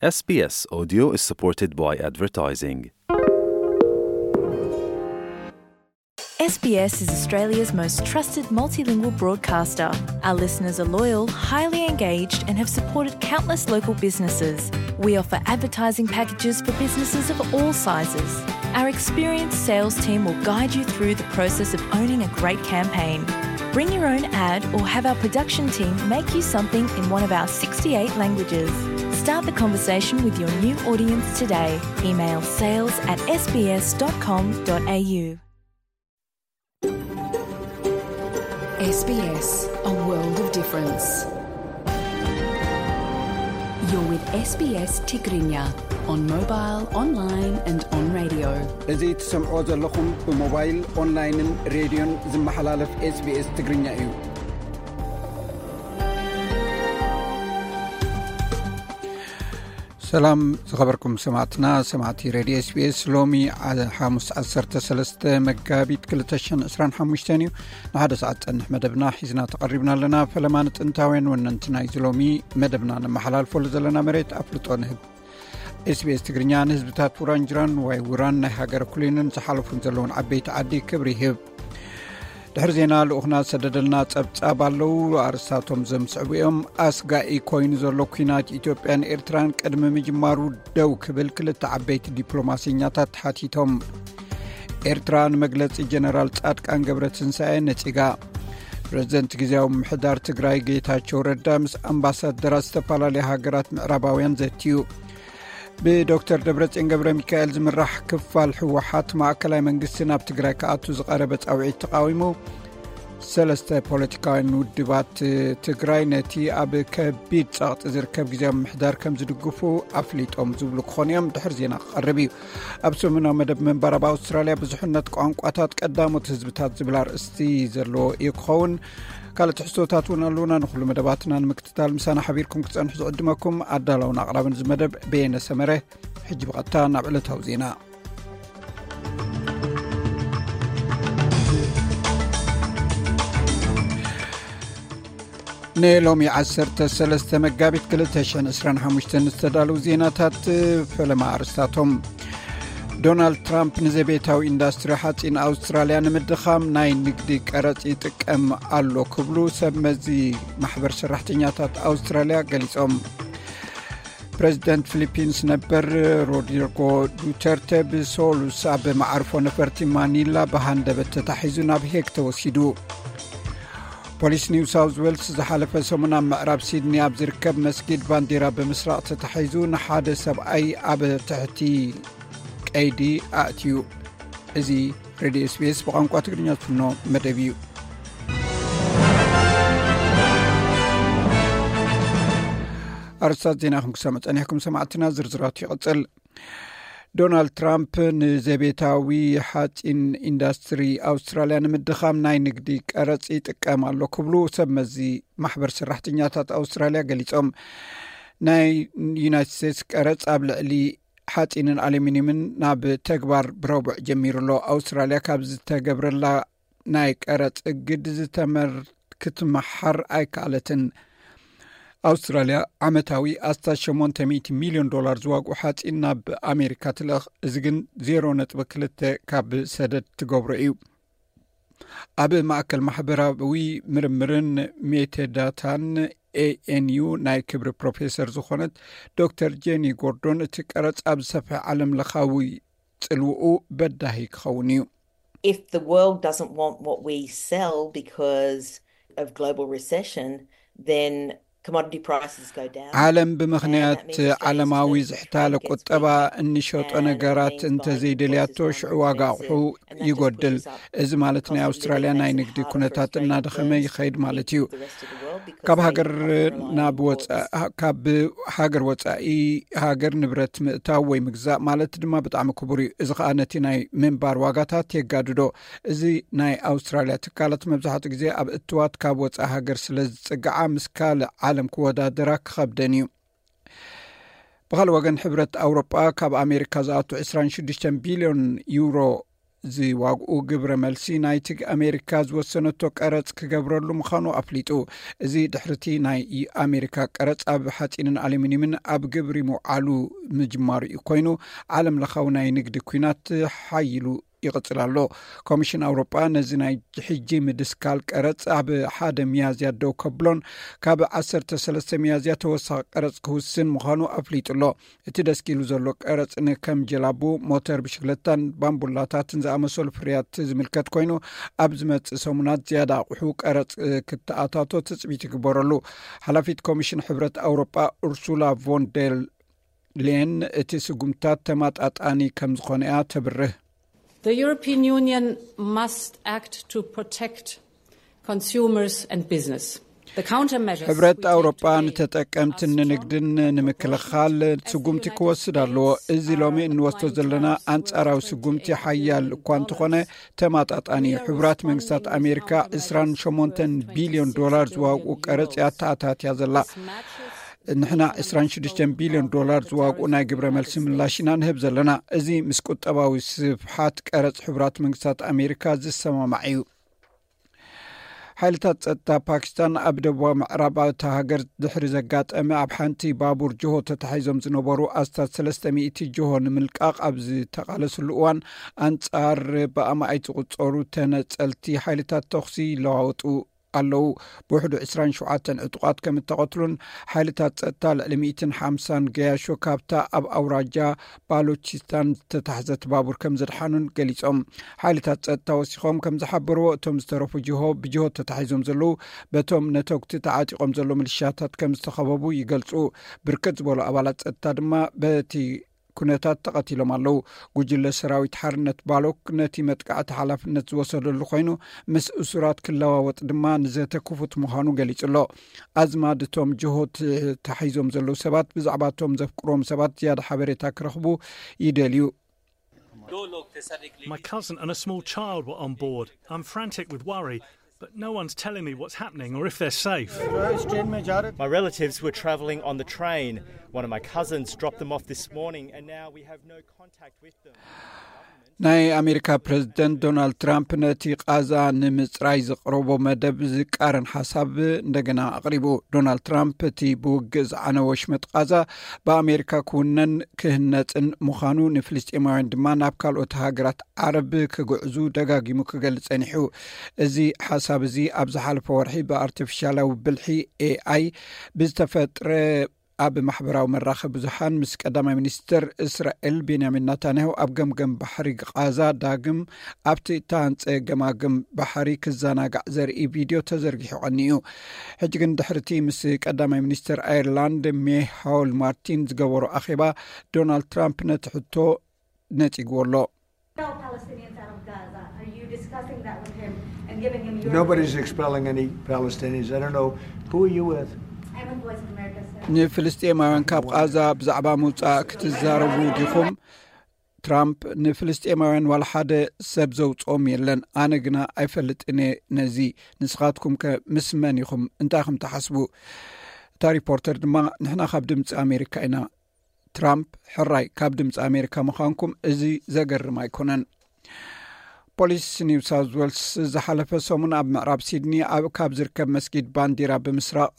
S B S Audio is supported by advertising. S B S is Australia's most trusted multilingual broadcaster. Our listeners are loyal, highly engaged, and have supported countless local businesses. We offer advertising packages for businesses of all sizes. Our experienced sales team will guide you through the process of owning a great campaign. Bring your own ad or have our production team make you something in one of our sixty-eight languages. Start the conversation with your new audience today. Email sales at S B S dot com dot A U. S B S, a world of difference. You're with S B S Tigrinya on mobile, online and on radio. እዚ ትሰምዖ ዘለኹም ብሞባይል፣ ኦንላይንን ሬድዮን ዝመሓላለፍ S B S ትግርኛ እዩ። ሰላም ዝኸበርኩም ሰማዕትና፣ ሰማዕቲ ሬድዮ S B S፣ ሎሚ ዓ-፣ ሓሙስ ዓሰርተ ሰለስተ መጋቢት ክልተ ሽሕን ዕስራን ሓሙሽተን እዩ። ንሓደ ሰዓት ጸንሕ መደብና ሒዝና ተቐሪብና ኣለና። ፈለማ ንጥንታውያን ወነንቲ ናይዚ ሎሚ መደብና ነመሓላልፈሉ ዘለና መሬት ኣፍልጦ ንህብ። S B S ትግርኛ ንህዝብታት ውራንጅራን ዋይ ውራን ናይ ሃገረ ኩሊንን ዝሓለፉን ዘለውን ዓበይቲ ዓዲ ክብሪ ይህብ። ድሕሪ ዜና ልኡኽና ዝሰደደልና ጸብጻብ ኣለዉ። ኣርእስታቶም ዘምስዕቡ እዮም። ኣስጋኢ ኮይኑ ዘሎ ኲናት ኢትዮጵያን ኤርትራን ቅድሚ ምጅማሩ ደው ክብል ክልተ ዓበይቲ ዲፕሎማሰኛታት ተሓቲቶም። ኤርትራ ንመግለጺ ጀነራል ጻድቃን ገብረትንሳኤ ነጺጋ። ፕረዚደንት ግዝያዊ ምምሕዳር ትግራይ ጌታቸው ረዳ ምስ ኣምባሳደራት ዝተፈላለያ ሃገራት ምዕራባውያን ዘትዩ። ብዶክተር ደብረጽዮን ገብረ ሚካኤል ዝምራሕ ክፋል ህወሓት ማእከላይ መንግስቲ ናብ ትግራይ ክኣቱ ዝቐረበ ጻውዒት ተቃዊሙ። ሰለስተ ፖለቲካውያን ውድባት ትግራይ ነቲ ኣብ ከቢድ ጸቕጢ ዝርከብ ግዝያዊ ምምሕዳር ከም ዝድግፉ ኣፍሊጦም ዝብሉ ክኾኑ እዮም። ድሕሪ ዜና ክቐርብ እዩ። ኣብ ሰሙናዊ መደብ ምንባር ኣብ ኣውስትራልያ ብዙሕነት ቋንቋታት ቀዳሞት ህዝብታት ዝብል ኣርእስቲ ዘለዎ እዩ ክኸውን። ካልእ ትሕዝቶታት እውን ኣለዉና። ንኹሉ መደባትና ንምክትታል ምሳና ሓቢርኩም ክትጸንሑ ዝዕድመኩም ኣዳላውን ኣቕራብን እዚ መደብ በየነ ሰመረ። ሕጂ ብቐጥታ ናብ ዕለታዊ ዜና። ንሎሚ ዓሰርተ ሰለስተ መጋቢት ክልተ ሽሕን ዕስራን ሓሙሽተን ዝተዳለዉ ዜናታት። ፈለማ ኣርስታቶም። ዶናልድ ትራምፕ ንዘቤታዊ ኢንዳስትሪ ሓፂን ኣውስትራልያ ንምድኻም ናይ ንግዲ ቀረፅ ይጥቀም ኣሎ ክብሉ ሰብ መዚ ማሕበር ሰራሕተኛታት ኣውስትራልያ ገሊፆም። ፕረዚደንት ፊሊፒንስ ነበር ሮድሪጎ ዱተርተ ብሶሉስ ኣብ መዓርፎ ነፈርቲ ማኒላ ብሃንደበት ተታሒዙ ናብ ሄግ ተወሲዱ። ፖሊስ ኒው ሳውዝ ዌልስ ዝሓለፈ ሰሙን ኣብ ምዕራብ ሲድኒ ኣብ ዝርከብ መስጊድ ባንዲራ ብምስራቕ ተታሒዙ ንሓደ ሰብኣይ ኣብ ትሕቲ ቀይዲ ኣእትዩ። እዚ ሬድዮ SBS ብቋንቋ ትግርኛ ዝፍኖ መደብ እዩ። ኣርስታት ዜና ኢኹም ክሰምዑ ጸኒሕኩም ሰማዕትና፣ ዝርዝራቱ ይቕጽል። ዶናልድ ትራምፕ ንዘቤታዊ ሓፂን ኢንዳስትሪ ኣውስትራልያ ንምድኻም ናይ ንግዲ ቀረፅ ይጥቀም ኣሎ ክብሉ ሰብ መዚ ማሕበር ሰራሕተኛታት ኣውስትራልያ ገሊፆም። ናይ ዩናይትድ ስቴትስ ቀረፅ ኣብ ልዕሊ ሓፂንን ኣሉሚኒየምን ናብ ተግባር ብረቡዕ ጀሚሩ ኣሎ። ኣውስትራልያ ካብ ዝተገብረላ ናይ ቀረፅ እግድ ዝተመር ክትመሓር ኣይከኣለትን። ኣውስትራልያ ዓመታዊ ኣስታት ሸሞንተ ሚእቲ ሚልዮን ዶላር ዝዋግኡ ሓፂን ናብ ኣሜሪካ ትልእኽ። እዚ ግን ዜሮ ነጥቢ ክልተ ካብ ሰደድ ትገብሮ እዩ። ኣብ ማእከል ማሕበራዊ ምርምርን ሜቴዳታን ኤኤንዩ ናይ ክብሪ ፕሮፌሰር ዝኾነት ዶክተር ጄኒ ጎርዶን፣ እቲ ቀረፅ ኣብ ዝሰፍሐ ዓለም ለኻዊ ጽልውኡ በዳሂ ክኸውን እዩ። If the world doesn't want what we sell because of global recession, then commodity prices go down. ዓለም ብምኽንያት ዓለማዊ ዝሕታለ ቁጠባ እንሸጦ ነገራት እንተዘይደልያቶ፣ ሽዑ ዋጋ ኣቑሑ ይጎድል። እዚ ማለት ናይ ኣውስትራልያ ናይ ንግዲ ኩነታት እናደኸመ ይኸይድ ማለት እዩ። ካብ ሃገር ናብ ወፃ-፣ ካብ ሃገር ወፃኢ ሃገር ንብረት ምእታው ወይ ምግዛእ ማለት ድማ ብጣዕሚ ክቡር እዩ። እዚ ኸኣ ነቲ ናይ ምንባር ዋጋታት የጋድዶ። እዚ ናይ ኣውስትራልያ ትካላት መብዛሕትኡ ግዜ ኣብ እትዋት ካብ ወፃኢ ሃገር ስለ ዝጽግዓ፣ ምስ ካልእ ዓለም ክወዳደራ ክኸብደን እዩ። ብኻልእ ወገን፣ ሕብረት ኣውሮጳ ካብ ኣሜሪካ ዝኣቱ ዕስራን ሽዱሽተን ቢልዮን ዩሮ ዝዋግኡ ግብረ መልሲ ናይቲ ኣሜሪካ ዝወሰነቶ ቀረጽ ክገብረሉ ምዃኑ ኣፍሊጡ። እዚ ድሕርቲ ናይ ኣሜሪካ ቀረጽ ኣብ ሓጺንን ኣሉሚኒየምን ኣብ ግብሪ ምውዓሉ ምጅማሩ እዩ ኮይኑ፣ ዓለም ለኻዊ ናይ ንግዲ ኲናት ሓይሉ ይቕጽል ኣሎ። ኮሚሽን ኣውሮጳ ነዚ ናይ ሕጂ ምድስካል ቀረጽ ኣብ ሓደ ሚያዝያ ደው ከብሎን ካብ ዓሰርተ ሰለስተ ሚያዝያ ተወሳኺ ቀረጽ ክውስን ምዃኑ ኣፍሊጡ ኣሎ። እቲ ደስኪሉ ዘሎ ቀረጽ ንከም ጀላቡ፣ ሞተር ብሽክለታን ባምቡላታትን ዝኣመሰሉ ፍርያት ዝምልከት ኮይኑ፣ ኣብ ዝመጽእ ሰሙናት ዝያዳ ኣቑሑ ቀረጽ ክተኣታቶ ትጽቢት ይግበረሉ። ሓላፊት ኮሚሽን ሕብረት ኣውሮጳ ኡርሱላ ቮን ደር ሌን እቲ ስጉምታት ተማጣጣኒ ከም ዝኾነ እያ ተብርህ። The European Union must act to protect consumers and business. The countermeasures ሕብረት we take ኣውሮጳ today ንተጠቀምትን are strong ንግድን ንምክልኻል ስጉምቲ ክወስድ ኣለዎ። እዚ ሎሚ እንወስዶ ዘለና ኣንጻራዊ ስጉምቲ ሓያል እኳ እንተኾነ ተማጣጣኒ እዩ። ሕቡራት መንግስታት ኣሜሪካ ዕስራን ሸሞንተን ቢልዮን ዶላር ዝዋግኡ ቀረጽ እያ ተኣታትያ ዘላ። ንሕና ዕስራን ሽዱሽተን ቢልዮን ዶላር ዝዋግኡ ናይ ግብረ መልሲ ምላሽ ኢና ንህብ ዘለና። እዚ ምስ ቁጠባዊ ስፍሓት ቀረጽ ሕቡራት መንግስታት ኣሜሪካ ዝሰማማዕ እዩ። ሓይልታት ጸጥታ ፓኪስታን ኣብ ደቡባዊ ምዕራብ እታ ሃገር ድሕሪ ዘጋጠመ ኣብ ሓንቲ ባቡር ጅሆ ተታሒዞም ዝነበሩ ኣስታት ሰለስተ ሚእቲ ጅሆ ንምልቃቕ ኣብ ዝተቓለስሉ እዋን ኣንጻር ብኣማኢት ዝቑጸሩ ተነጸልቲ ሓይልታት ተኹሲ ይለዋወጡ ኣለዉ። ብውሕዱ ዕስራን ሸውዓተን ዕጡቓት ከም እተቐትሉን ሓይልታት ጸጥታ ልዕሊ ሚእትን ሓምሳን ገያሾ ካብታ ኣብ ኣውራጃ ባሎቺስታን ዝተታሕዘት ባቡር ከም ዘድሓኑን ገሊጾም። ሓይልታት ጸጥታ ወሲኾም ከም ዝሓበርዎ፣ እቶም ዝተረፉ ጅሆ ብጅሆ ተታሒዞም ዘለዉ በቶም ነተጉቲ ተዓጢቖም ዘሎ ምልሻታት ከም ዝተኸበቡ ይገልጹ። ብርክት ዝበሉ ኣባላት ጸጥታ ድማ በቲ ኩነታት ተቐቲሎም ኣለዉ። ጉጅለ ሰራዊት ሓርነት ባሎክ ነቲ መጥቃዕቲ ሓላፍነት ዝወሰደሉ ኮይኑ፣ ምስ እሱራት ክለዋወጥ ድማ ንዘተ ክፉት ምዃኑ ገሊጹ ኣሎ። ኣዝማድ እቶም ጅሆ ተታሒዞም ዘለዉ ሰባት ብዛዕባ እቶም ዘፍቅሮም ሰባት ዝያዳ ሓበሬታ ክረኽቡ ይደልዩ። My cousin and a small child were on board. I'm frantic with worry, but no one's telling me what's happening or if they're safe. My relatives were travelling on the train. One of my cousins dropped them off this morning, and now we have no contact with them. ናይ ኣሜሪካ ፕሬዝደንት ዶናልድ ትራምፕ ነቲ ቃዛ ንምፅራይ ዘቕረቦ መደብ ዝቃረን ሓሳብ እንደገና ኣቕሪቡ። ዶናልድ ትራምፕ እቲ ብውግእ ዝዓነወ ወሽመጥ ቃዛ ብኣሜሪካ ክውነን ክህነፅን ምዃኑ፣ ንፍልስጤማውያን ድማ ናብ ካልኦት ሃገራት ዓረብ ክግዕዙ ደጋጊሙ ክገልፅ ጸኒሑ። እዚ ሓሳብ እዚ ኣብ ዝሓለፈ ወርሒ ብኣርቲፊሻላዊ ብልሒ ኤኣይ ብዝተፈጥረ ኣብ ማሕበራዊ መራኸቢ ብዙሓን ምስ ቀዳማይ ሚኒስትር እስራኤል ቤንያሚን ናታንያሁ ኣብ ገምገም ባሕሪ ቃዛ ዳግም ኣብቲ እተሃንጸ ገማግም ባሕሪ ክዘናጋዕ ዘርኢ ቪድዮ ተዘርጊሑ ቀኒዩ። ሕጂ ግን ድሕርቲ ምስ ቀዳማይ ሚኒስትር ኣየርላንድ ሜሃውል ማርቲን ዝገበሮ ኣኼባ፣ ዶናልድ ትራምፕ ነቲ ሕቶ ነጺግዎ ኣሎ። Expel Palestinians out of Gaza. Are you discussing that with him and giving him your Nobody's expelling any Palestinians. I don't know. Who are you with? I'm with Voice of America, sir. ንፍልስጤማውያን ካብ ቃዛ ብዛዕባ ምውፃእ ክትዛረቡ ዲኹም? ትራምፕ፣ ንፍልስጤማውያን ዋላ ሓደ ሰብ ዘውፅኦም የለን። ኣነ ግና ኣይፈልጥን እየ ነዚ። ንስኻትኩም ከ ምስ መን ኢኹም? እንታይ ኢኹም ትሓስቡ? እታ ሪፖርተር ድማ፣ ንሕና ካብ ድምፂ ኣሜሪካ ኢና። ትራምፕ፣ ሕራይ ካብ ድምፂ ኣሜሪካ ምዃንኩም እዚ ዘገርም ኣይኮነን። ፖሊስ ኒው ሳውዝ ዌልስ ዝሓለፈ ሰሙን ኣብ ምዕራብ ሲድኒ ኣብ ካብ ዝርከብ መስጊድ ባንዲራ ብምስራቕ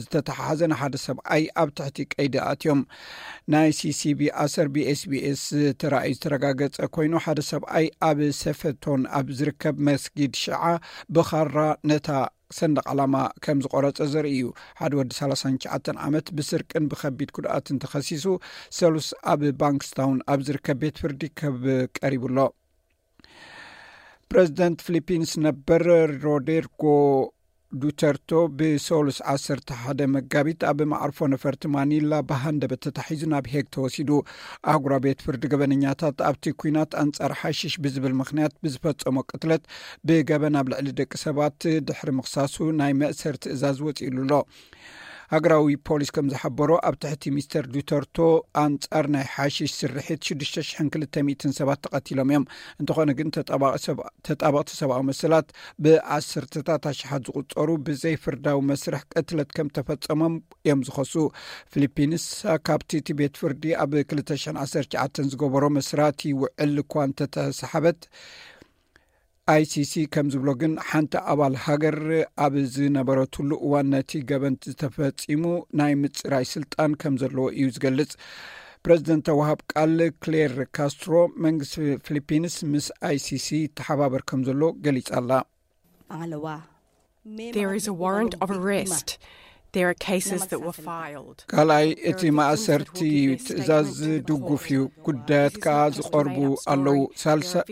ዝተተሓሓዘ ንሓደ ሰብኣይ ኣብ ትሕቲ ቀይዲ ኣትዮም። ናይ ሲሲቢ ኣሰር ብኤስቢኤስ ተራእዩ ዝተረጋገጸ ኮይኑ፣ ሓደ ሰብኣይ ኣብ ሰፈቶን ኣብ ዝርከብ መስጊድ ሽዓ ብኻራ ነታ ሰንደቕ ዓላማ ከም ዝቆረጸ ዘርኢ እዩ። ሓደ ወዲ ሰላሳን ትሽዓተን ዓመት ብስርቅን ብኸቢድ ጉድኣትን ተኸሲሱ ሰሉስ ኣብ ባንክስታውን ኣብ ዝርከብ ቤት ፍርዲ ከብ ቀሪቡ ኣሎ። ፕረዚደንት ፊሊፒንስ ነበር ሮድሪጎ ዱተርቶ ብሰሉስ ዓሰርተ ሓደ መጋቢት ኣብ መዓርፎ ነፈርቲ ማኒላ ብሃንደበት ተታሒዙ ናብ ሄግ ተወሲዱ። ኣህጉራዊ ቤት ፍርዲ ገበነኛታት ኣብቲ ኲናት ኣንጻር ሓሽሽ ብዝብል ምኽንያት ብዝፈጸሞ ቅትለት ብገበን ኣብ ልዕሊ ደቂ ሰባት ድሕሪ ምኽሳሱ ናይ መእሰር ትእዛዝ ወጺእሉ ኣሎ። ሃገራዊ ፖሊስ ከም ዝሓበሮ፣ ኣብ ትሕቲ ሚስተር ዱተርቶ ኣንጻር ናይ ሓሽሽ ስርሒት ሽዱሽተ ሽሕን ክልተ ሚእትን ሰባት ተቐቲሎም እዮም። እንተኾነ ግን፣ ተጣባቒ ሰብ-፣ ተጣበቕቲ ሰብኣዊ መሰላት ብዓሰርተታት ኣሽሓት ዝቑጸሩ ብዘይ ፍርዳዊ መስርሕ ቅትለት ከም ተፈጸሞም እዮም ዝኸሱ። ፊሊፒንስ ካብቲ እቲ ቤት ፍርዲ ኣብ ክልተ ሽሕን ዓሰርተ ትሽዓተን ዝገበሮ መስራቲ ውዕል እኳ እንተተሰሓበት፣ ኣይሲሲ ከም ዝብሎ ግን፣ ሓንቲ ኣባል ሃገር ኣብ ዝነበረትሉ እዋን ነቲ ገበን ዝተፈጺሙ ናይ ምጽራይ ስልጣን ከም ዘለዎ እዩ ዝገልጽ። ፕረዚደንት ተዋሃብ ቃል ክሌር ካስትሮ፣ መንግስቲ ፊሊፒንስ ምስ ኣይሲሲ ይተሓባበር ከም ዘሎ ገሊጻ ኣላ። There is a warrant of arrest. There are cases that were filed. ካልኣይ፣ እቲ ማእሰርቲ ትእዛዝ ድጉፍ እዩ። ጉዳያት ከኣ ዝቐርቡ ኣለዉ። ሳልሳ-፣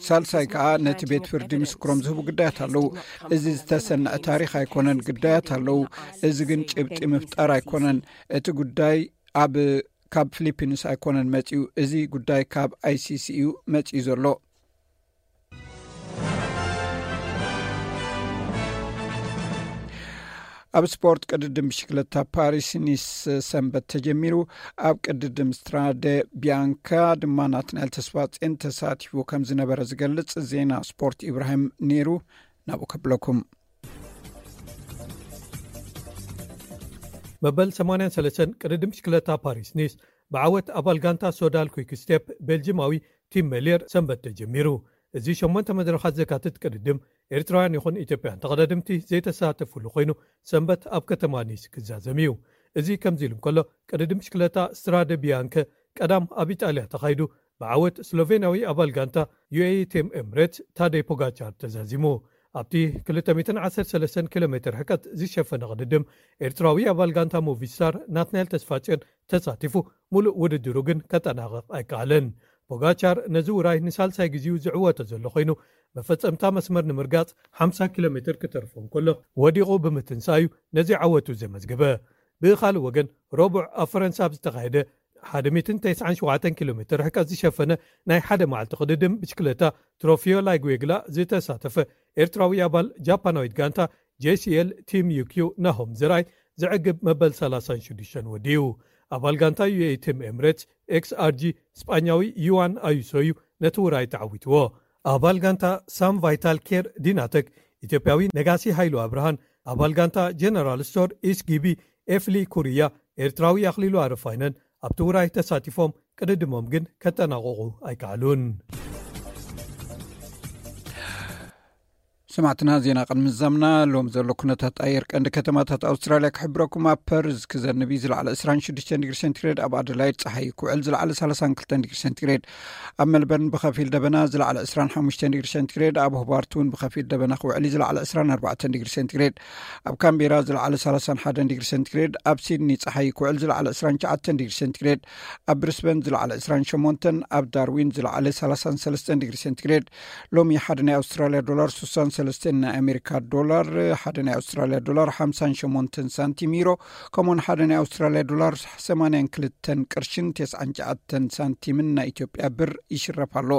ሳልሳይ ከኣ፣ ነቲ ቤት ፍርዲ ምስክሮም ዝህቡ ጉዳያት ኣለዉ። እዚ ዝተሰንዐ ታሪኽ ኣይኮነን። ጉዳያት ኣለዉ። እዚ ግን ጭብጢ ምፍጣር ኣይኮነን። እቲ ጉዳይ ኣብ፣ ካብ ፊሊፒንስ ኣይኮነን መጺኡ። እዚ ጉዳይ ካብ ኣይሲሲ እዩ መጺኡ ዘሎ። ኣብ ስፖርት፣ ቅድድም ብሽክለታ ፓሪስ ኒስ ሰንበት ተጀሚሩ። ኣብ ቅድድም ስትራደ ቢያንካ ድማ ናትናኤል ተስፋጼን ተሳቲፉ ከም ዝነበረ ዝገልጽ ዜና ስፖርት ኢብራሂም ነይሩ። ናብኡ ከብለኩም። መበል ሰማንያን ሰለስተን ቅድድም ብሽክለታ ፓሪስ ኒስ ብዓወት ኣባል ጋንታ ሶዳል ኩይክ ስቴፕ ቤልጅማዊ ቲም ሜልየር ሰንበት ተጀሚሩ። እዚ ሸሞንተ መድረኻት ዘካትት ቅድድም፣ ኤርትራውያን ይኹን ኢትዮጵያን ተቐዳደምቲ ዘይተሳተፉሉ ኮይኑ፣ ሰንበት ኣብ ከተማ ኒስ ክዛዘም እዩ። እዚ ከምዚ ኢሉ እንከሎ፣ ቅድድም ብሽክለታ ስትራደ ቢያንከ ቀዳም ኣብ ኢጣልያ ተኻይዱ፣ ብዓወት ስሎቬንያዊ ኣባል ጋንታ ዩኤኢ ቲም ኤምሬትስ ታደይ ፖጋቻር ተዛዚሙ። ኣብቲ ክልተ ሚእትን ዓሰርተ ሰለስተን ኪሎ ሜትር ርሕቀት ዝሸፈነ ቅድድም፣ ኤርትራዊ ኣባል ጋንታ ሞቪስታር ናትናኤል ተስፋጽዮን ተሳቲፉ፣ ሙሉእ ውድድሩ ግን ከጠናቕቕ ኣይከኣለን። ፖጋቻር ነዚ ውራይ ንሳልሳይ ግዜኡ ዝዕወቶ ዘሎ ኮይኑ፣ መፈጸምታ መስመር ንምርጋጽ ሓምሳ ኪሎ ሜትር ክተርፎ እንከሎ፣ ወዲቑ ብምትንሳእ'ዩ ነዚ ዓወቱ ዘመዝገበ። ብኻልእ ወገን፣ ረቡዕ ኣብ ፈረንሳ ኣብ ዝተኻየደ ሓደ ሚእትን ተስዓን ሸውዓተን ኪሎ ሜትር ርሕቀት ዝሸፈነ ናይ ሓደ መዓልቲ ቅድድም ብሽክለታ ትሮፊዮ ላይጉዌግላ ዝተሳተፈ ኤርትራዊ ኣባል ጃፓናዊት ጋንታ ጄሲኤል ቲም ዩኪዩ ናሆም ዘርኣይ ዘዕግብ መበል ሰላሳን ሽዱሽተን ወዲኡ። ኣባል ጋንታ ዩኤኢ ቲም ኤምሬትስ ኤክስኣርጂ ስጳኛዊ ዩዋን ኣዩሶ እዩ ነቲ ውራይ ተዓዊትዎ። ኣባል ጋንታ ሳም ቫይታል ኬር ዲናተክ ኢትዮጵያዊ ነጋሲ ሃይሉ ኣብርሃን ኣባል ጋንታ ጀነራል ስቶር ኢስጊቢ ኤፍሊ ኩርያ ኤርትራዊ ኣኽሊሉ ኣረፋይነን ኣብቲ ውራይ ተሳቲፎም፣ ቅድድሞም ግን ከጠናቕቑ ኣይከኣሉን። ሰማዕትና፣ ዜና ቅድሚ ምዛምና ሎም ዘሎ ኩነታት ኣየር ቀንዲ ከተማታት ኣውስትራልያ ክሕብረኩም። ኣብ ፐርዝ ክዘንብ እዩ፣ ዝለዓለ ዕስራን ሽዱሽተን ዲግሪ ሴንቲግሬድ። ኣብ ኣደላይድ ጸሓይ ክውዕል፣ ዝለዓለ ሰላሳን ክልተን ዲግሪ ሴንቲግሬድ። ኣብ ሜልበርን ብኸፊል ደበና፣ ዝለዓለ ዕስራን ሓሙሽተን ዲግሪ ሴንቲግሬድ። ኣብ ሆባርት እውን ብኸፊል ደበና ክውዕል እዩ፣ ዝለዓለ ዕስራን ኣርባዕተን ዲግሪ ሴንቲግሬድ። ኣብ ካምቤራ ዝለዓለ ሰላሳን ሓደን ዲግሪ ሴንቲግሬድ። ኣብ ሲድኒ ጸሓይ ክውዕል፣ ዝለዓለ ዕስራን ትሽዓተን ዲግሪ ሴንቲግሬድ። ኣብ ብሪስበን ዝለዓለ ዕስራን ሸሞንተን፣ ኣብ ዳርዊን ዝለዓለ ሰላሳን ሰለስተን ዲግሪ ሴንቲግሬድ። ሎሚ ሓደ ናይ ኣውስትራልያ ዶላር ስሳን ሰለስተን ናይ ኣሜሪካ ዶላር፣ ሓደ ናይ ኣውስትራልያ ዶላር ሓምሳን ሸሞንተን ሳንቲም ዩሮ፣ ከምኡውን ሓደ ናይ ኣውስትራልያ ዶላር ሰማንያን ክልተን ቅርሽን ተስዓን ትሽዓተን ሳንቲምን ናይ ኢትዮጵያ ብር ይሽረፍ ኣሎ።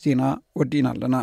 ዜና ወዲእና ኣለና።